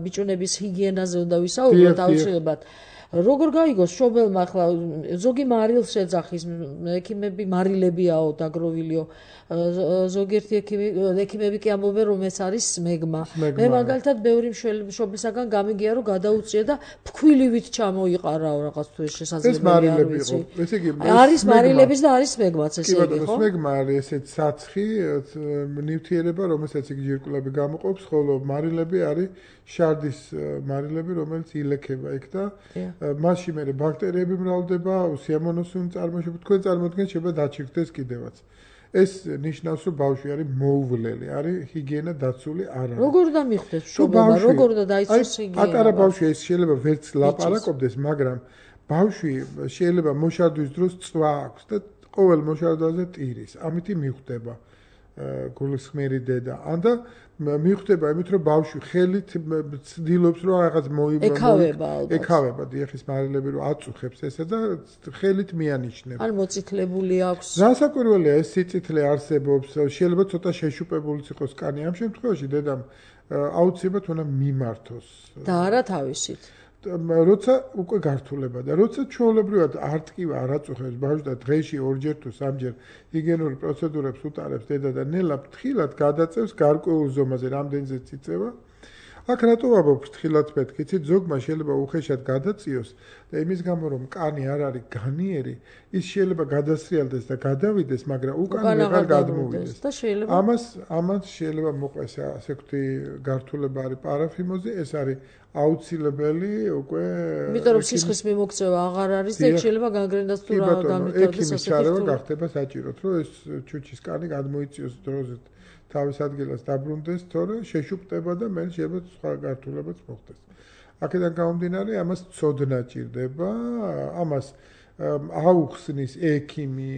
ბიჭუნების ჰიგიენაზე უნდა ვისაუბროთ აუცილებლად. როგორ გაიგოს მშობელმა ახლა ზოგი მარილს ეძახის ექიმები მარილებიაო დაგროვილიო ზოგიერთი ექიმები კი ამბობენ რომ ეს არის სმეგმა მე მაგალითად ბევრი მშობლისაგან გამიგია რომ გადაუწია და ფქვილივით ჩამოიყარაო რაღაც თუ ეს შესაძლებელი არ ვიცი
ესე იგი
არის მარილების და არის სმეგმაც ესე იგი ხო
სმეგმა არის ესეც საცხი ნივთიერება რომელსაც იგი ჯირკვლები გამოყოფს ხოლო მარილები არის შარდის მარილები რომელიც ილექება იქ და მასში მე ბაქტერიები მრავლდება, უსიამოვნოს წარმოშობა, თქვენ წარმოიდგინეთ შეიძლება დაჩირდეს კიდევაც. ეს ნიშნავს რომ ბავშვი არის მოუვლელი, არის ჰიგიენა დაცული არ არის.
როგორ უნდა მიხვდეს მშობელმა, როგორ უნდა დაიცვას ჰიგიენა?
პატარა ბავშვი ეს შეიძლება ვერც ლაპარაკობდეს, მაგრამ ბავშვი შეიძლება მოშარდვის დროს წვა აქვს და ყოველ მოშარდვაზე ტირის. ამით მიხვდება გულისხმიერი დედა. ანდა მიხვდება იმით რომ ბავშვი ხელით ცდილობს რომ რაღაც ეკავება დიახის მარილები რომ აწუხებს ესა და ხელით მიანიშნებს.
ან მოწითლებული აქვს.
რასაკვირველია ეს სიწითლე არსებობს, შეიძლება ცოტა შეშუპებულიც იყოს კანი. ამ შემთხვევაში დედამ აუცილებლად უნდა მიმართოს.
და არა თავისით.
როცა უკვე გართულება და როცა ჩვეულებრივად არტკივა არ აწუხებს ბავშვს და დღეში ორჯერ თუ სამჯერ ჰიგიენური პროცედურებს უტარებს დედა და ნელა ფრთხილად გადაწევს გარკვეულ ზომაზე რამდენზეც იწევა აქ რატო ვაბობ ფრთხილად მეთქი იცით ზოგმა შეიძლება უხეშად გადაწიოს და იმის გამო რომ კანი არ არის განიერი ის შეიძლება გადასრიალდეს და გადავიდეს მაგრამ უკან ვეღარ გადმოვიდეს
და შეიძლება
ამას შეიძლება მოყვეს ასე ვთქვი გართულება არის პარაფიმოზი ეს არის აუცილებელი უკვე
იმიტომ რომ სისხლის მიმოქცევა აღარ არის და შეიძლება განგრენას თუ რა დამიტარდეს
ასეთი ჩარევა გახდება საჭიროდ რომ ეს ჩუჩის კანი გადმოიწიოს დროზე თავის ადგილას დაბრუნდეს თორე შეშუპდება და მე შეიძლება სხვა გართულებაც მოხდეს აქედან გამომდინარე ამას ცოდნა ჭირდება ამას აუხსნის ექიმი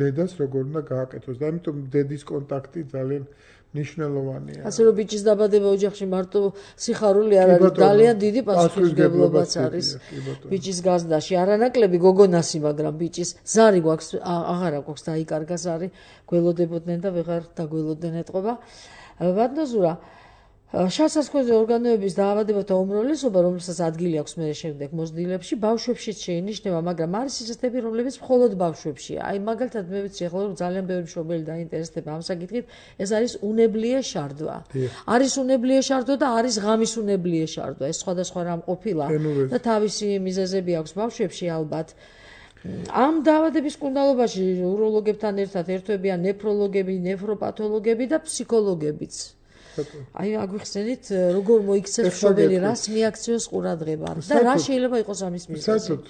დედას როგორ უნდა გააკეთოს და ამიტომ დედის კონტაქტი ძალიან ნიშნულოვანია.
ასე რომ ბიჭის დაბადება ოჯახში მარტო სიხარული არ არის, ძალიან დიდი პასუხისმგებლობაც არის. ბიჭის გაზრდაში არანაკლები გოგონასი, მაგრამ ბიჭის ზარი გვაქვს, აღარა გვაქვს დაიკარგა ზარი, გველოდებოდნენ და ვეღარ დაგველოდნენ ეთყობა. ბატონო ზურა, შავსასქესო ორგანოების დაავადებათა უმრავლესობა, რომელსაც ადგილი აქვს მე შემდეგ მოსდილებში, ბავშვებშიც შეინიშნება, მაგრამ არის ისეთები, რომლებიც მხოლოდ ბავშვებშია. აი მაგალითად მე ვიცი ახლა რომ ძალიან ბევრი მშობელი დაინტერესდება ამ საკითხით, ეს არის უნებლიე შარდვა. არის უნებლიე შარდვა და არის ღამის უნებლიე შარდვა. ეს სხვადასხვა რამ ყოფილა და თავისი მიზეზები აქვს ბავშვებში ალბათ. ამ დაავადების კუნდალობაში უროლოგებთან ერთად ერთვებიან ნეფროლოგები, ნეფროპათოლოგები და ფსიქოლოგებიც. აი აგვიხსენით როგორ მოიქცეს მშობელი რას მიაქციოს ყურადღება და რა შეიძლება იყოს ამის მიზეზი.
საერთოდ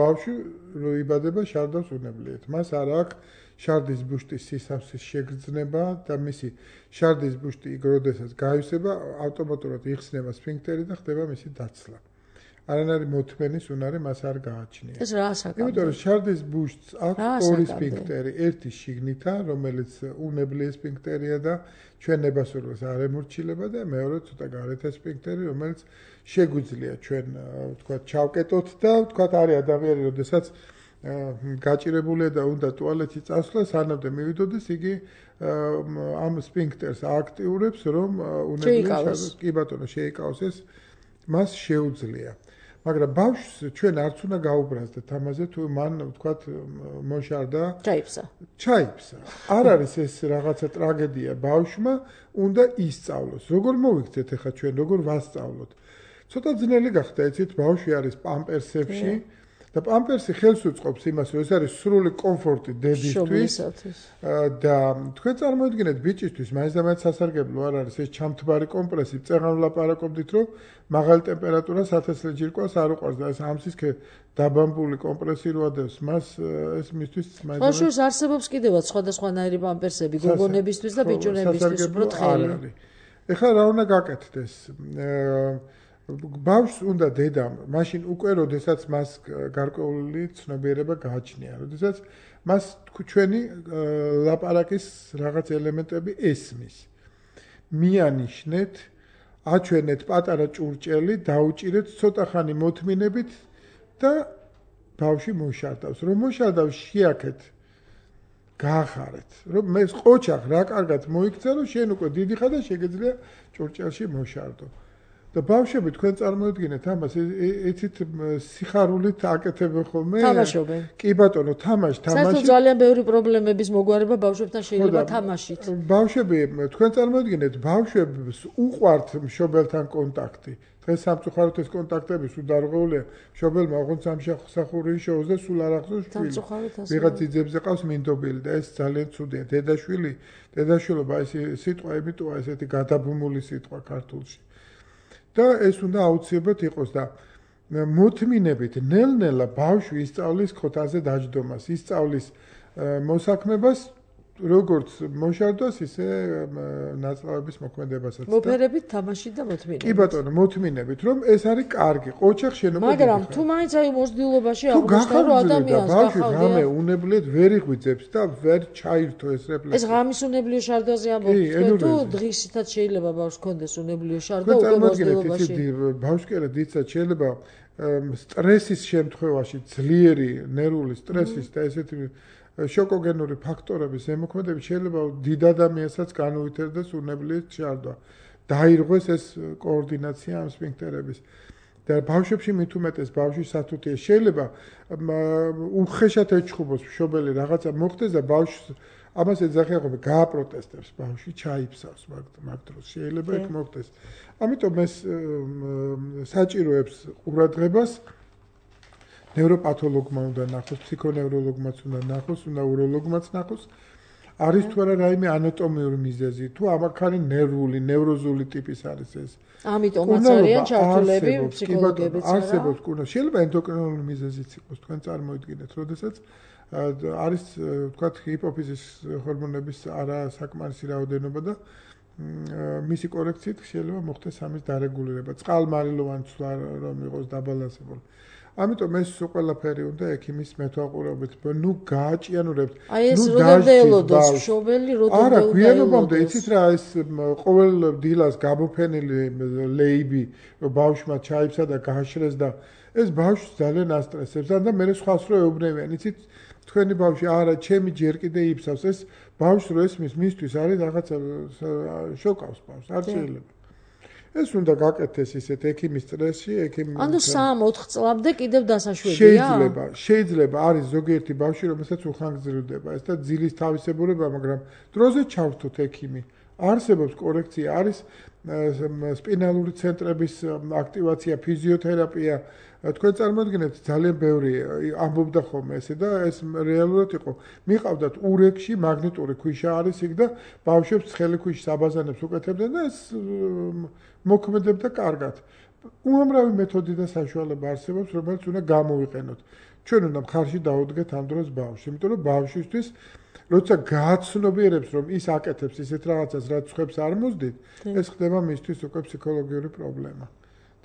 ბავშვი რო იბადება შარდავს უნებლიეთ. მას არ აქვს შარდის ბუშტის სისავსის შეგრძნება და მისი შარდის ბუშტი იქ როდესაც გაივსება ავტომატურად იხსნება სფინქტერი და ხდება მისი დაცლა. არანაირი მოთმენის უნარი მას არ გააჩნია.
ეს რა საკითხია?
იმიტომ რომ შარდის ბუშტს აქვს ორი სფინქტერი, ერთი შიგნითა, რომელიც უნებლიე სფინქტერია და ჩვენ ნებასურველს არ ემორჩილება და მეორე ცოტა გარეთა სფინქტერი, რომელიც შეგვიძლია ჩვენ ვთქვათ ჩავკეტოთ და ვთქვათ არის ადამიანი, როდესაც გაჭირებულია და უნდა ტუალეტში წასვლა, სანამდე მივიდოდეს, იგი ამ სფინქტერს აქტიურებს, რომ უნებლიე კი ბატონო შეიკავოს ეს მას შეუძლია. მაგრამ ბავშვს ჩვენ არც უნდა გაუბრაზდეთ ამაზე, თუ მან ვთქვათ მოშარდა, ჩაიფსა. არ არის ეს რაღაცა ტრაგედია ბავშვმა, უნდა ისწავლოს. როგორ მოვიქცეთ ახლა ჩვენ, როგორ ვასწავლოთ? ცოტა ძნელი გახდა, იცით, ბავშვი არის პამპერსებში და პამპერსი ხელს უწყობს იმას, რომ ეს არის სრული კომფორტი დედისთვის და თქვენ წარმოიდგინეთ ბიჭისთვის მაინც და მაინც სასარგებლო არ არის ეს ჩამთბარი კომპრესი, წეღან ვლაპარაკობდით, რომ მაღალი ტემპერატურა სათესლე ჯირკვას არ უყვარს და ეს ამსისქე დაბამბული კომპრესი რო ადევს, მას ეს მისთვის მაინც
ბავშვს არსებობს კიდევაც სხვადასხვანაირი პამპერსები გოგონებისთვის და ბიჭუნებისთვის უბრალოდ ხელი.
ეხლა რა უნდა გაკეთდეს? ბავშვს უნდა დედამ, მაშინ უკვე როდესაც მას გარკვეული ცნობიერება გააჩნია, როდესაც მას ჩვენი ლაპარაკის რაღაც ელემენტები ესმის. მიანიშნეთ, აჩვენეთ პატარა ჭურჭელი, დაუჭირეთ ცოტა ხანი მოთმინებით და ბავშვი მოშარდავს. რომ მოშარდავს, შეაქეთ, გაახარეთ. რომ მე ყოჩახ რა კარგად მოიქცა, რომ შენ უკვე დიდი ხარ და შეგეძლია ჭურჭელში მოშარდო. და ბავშვები თქვენ წარმოიდგინეთ ამას, იცით სიხარულით აკეთებენ ხოლმე?
თამაშობენ.
კი ბატონო, თამაში.
საერთოდ ძალიან ბევრი პრობლემების მოგვარება ბავშვებთან შეიძლება თამაშით.
ბავშვები, თქვენ წარმოიდგინეთ, ბავშვებს უყვართ მშობელთან კონტაქტი. დღეს სამწუხაროდ ეს კონტაქტები სულ დარღვეულია. მშობელმა ოღონდ სამსახური შეოს და სულ არ ახსოვს შვილი. ვიღაც ძიძებზე ყავს მინდობილი და ეს ძალიან ცუდია. დედაშვილობა ეს სიტყვა ემიტოა ესეთი გადაბმული სიტყვა ქართულში. და ეს უნდა აუცილებლად იყოს და მოთმინებით ნელ-ნელა ბავშვი ისწავლის ხოთაზე დაჯდომას, ისწავლის მოსაქმებას, როგორც მოშარდოს, ისე ნაწლავების მოქმედებასაც.
მოფერებით თამაშით და მოთმინებით.
კი ბატონო, მოთმინებით, რომ ეს არის კარგი. ყოჩახ შენობა.
მაგრამ თუ მაინც აი მოსდილობაში აღმოჩნდა რომ ადამიანს
ბავშვი რამე უნებლიეთ ვერ იღვიძებს და ვერ ჩაირთო ეს რეფლექსი.
ეს ღამის უნებლიო შარდვაზე ამბობთ, თუ დღისითაც შეიძლება ბავშვს კონდეს უნებლიო შარდვა უკვე მოსდილობაში.
ბავშვი კი არა დიდსაც შეიძლება სტრესის შემთხვევაში, ძლიერი ნერვული სტრესის და ესეთი შოკოგენური ფაქტორების ზემოქმედებით შეიძლება დიდ ადამიანსაც განუვითარდეს უნებლიეთ შარდვა. დაირღვეს ეს კოორდინაცია ამ სფინქტერების. და ბავშვებში მით უმეტეს ბავშვის სათუთია შეიძლება უხეშად ეჩხუბოს მშობელი რაღაცა მოხდეს და ბავშვს ამას ეძახება გააპროტესტებს ბავშვი ჩაიფსავს მაგ დროს შეიძლება იქ მოხდეს. ამიტომ ეს საჭიროებს ყურადღებას ნევროპათოლოგმა უნდა ნახოს, ფსიქონევროლოგმაც უნდა ნახოს, უნდა უროლოგმაც ნახოს. არის თუ არა რაიმე ანატომიური მიზეზი, თუ ამაქარი ნერვული, ნევროზული ტიპის არის ეს.
ამიტომაც არიან ჩართულები ფსიქოლოგებიც არა.
არსებობს კურნა. შეიძლება ენდოკრინული მიზეზიც იყოს, თქვენ წარმოიდგინეთ, როდესაც არის ვთქვათ ჰიპოფიზის ჰორმონების არასაკმარისი რაოდენობა და მისი კორექციით შეიძლება მოხდეს ამის დარეგულირება. წყალმარილოვანი ცვლა რომ იყოს დაბალანსებული. ამიტომ ეს ყველაფერი უნდა ექიმის მეთვალყურეობით, ნუ გააჭიანურებთ,
ნუ დაჟდელოდოს მშობელი, როდესაც
არა, გვიანობამდე იცით რა, ეს ყოველ დილას გამოფენილი ლეიბი, რომ ბავშვმა ჩაიფსა და გააშრეს და ეს ბავშვს ძალიან ასტრესებს და მე სხვას რო ეუბნებიან, იცით, თქვენი ბავშვი არა, ჩემი ჯერ კიდე იფსავს, ეს ბავშვს რო ესმის, მისთვის არის რაღაცა შოკავს ბავშვს, არ შეიძლება. ეს უნდა გაკეთდეს ისეთ ექიმის წრეში,
ანუ 3-4 წლამდე კიდევ დასაშვებია?
შეიძლება, არის ზოგიერთი ბავშვი, რომელსაც უხანგრძლივდება ეს და ძილის თავისებურება, მაგრამ დროზე ჩავრთოთ ექიმი. არსებობს კორექცია, არის სპინალური ცენტრების აქტივაცია, ფიზიოთერაპია. თქვენ წარმოიდგინეთ, ძალიან ბევრი ამბობდა ხოლმე ესე და ეს რეალურად იყო. მიყავდათ ურეკში მაგნიტური ქვიშა არის იქ და ბავშვებს ცხელი ქვიშის აბაზანებს უკეთებდნენ და ეს მოქმედებდა კარგად. უამრავი მეთოდი და საშუალება არსებობს, რომელიც უნდა გამოვიყენოთ. ჩვენ უნდა მხარში დავუდგეთ ამ დროს ბავშვს, იმიტომ რომ ბავშვისთვის როცა გააცნობიერებს, რომ ის აკეთებს ისეთ რაღაცას, რაც ხვებს არ მოსდით, ეს ხდება მისთვის უკვე ფსიქოლოგიური პრობლემა.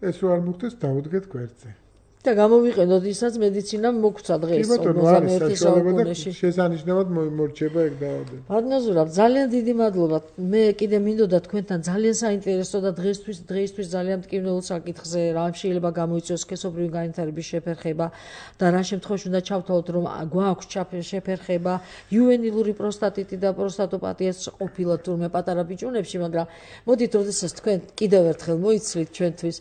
ეს რო არ მოხდეს, დავუდგეთ გვერდზე.
და გამოვიყენოთ ისაც მედიცინამ მოგცა დღეს 21 საუკუნეში.
შესანიშნავად მოიმორჩება ეგ დაავადება.
ბატონო, ძალიან დიდი მადლობა. მე კიდე მინდოდა თქვენთან ძალიან საინტერესო და დღეისთვის ძალიან მტკივნეულ საკითხზე რა შეიძლება გამოიწვიოს სქესობრივი განვითარების შეფერხება და რა შემთხვევაში უნდა ჩავთვალოთ, რომ გვაქვს შეფერხება იუვენილური პროსტატიტი და პროსტატოპატიაც ყოფილა თურმე პატარა ბიჭუნებში, მაგრამ მოდით, როდესაც თქვენ კიდევ ერთხელ მოიცლით ჩვენთვის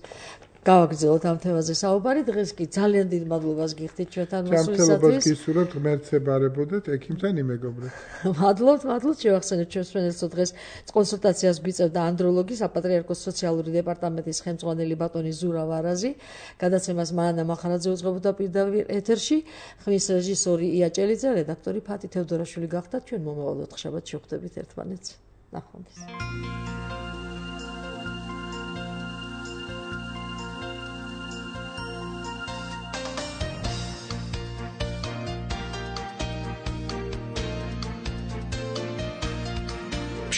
გავაგრძელოთ ამ თემაზე საუბარი. დღეს კი ძალიან დიდ მადლობას გიხდით ჩვენთან მოსვლისათვის.
ჯანმრთელობას გისურვებთ, ღმერთს ებარებოდეთ, ექიმთან იმეგობრეთ.
მადლობთ, შევახსენებთ ჩვენს ფრენელსო დღეს კონსულტაციას გვიწევდა ანდროლოგი, საპატრიარქოს სოციალური დეპარტამენტის ხელმძღვანელი ბატონი ზურა ვარაზი. გადაცემას მანანა მახარაძე უძღვებოდა პირდაპირ ეთერში. ხმის რეჟისორი ია ჭელიძე, რედაქტორი ფათი თევდორაშვილი გახდა. ჩვენ მომავალ ოთხშაბათს შევხვდებით ერთმანეთს. ნახვამდის.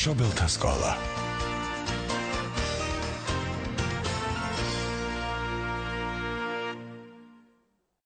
მშობელთა სკოლა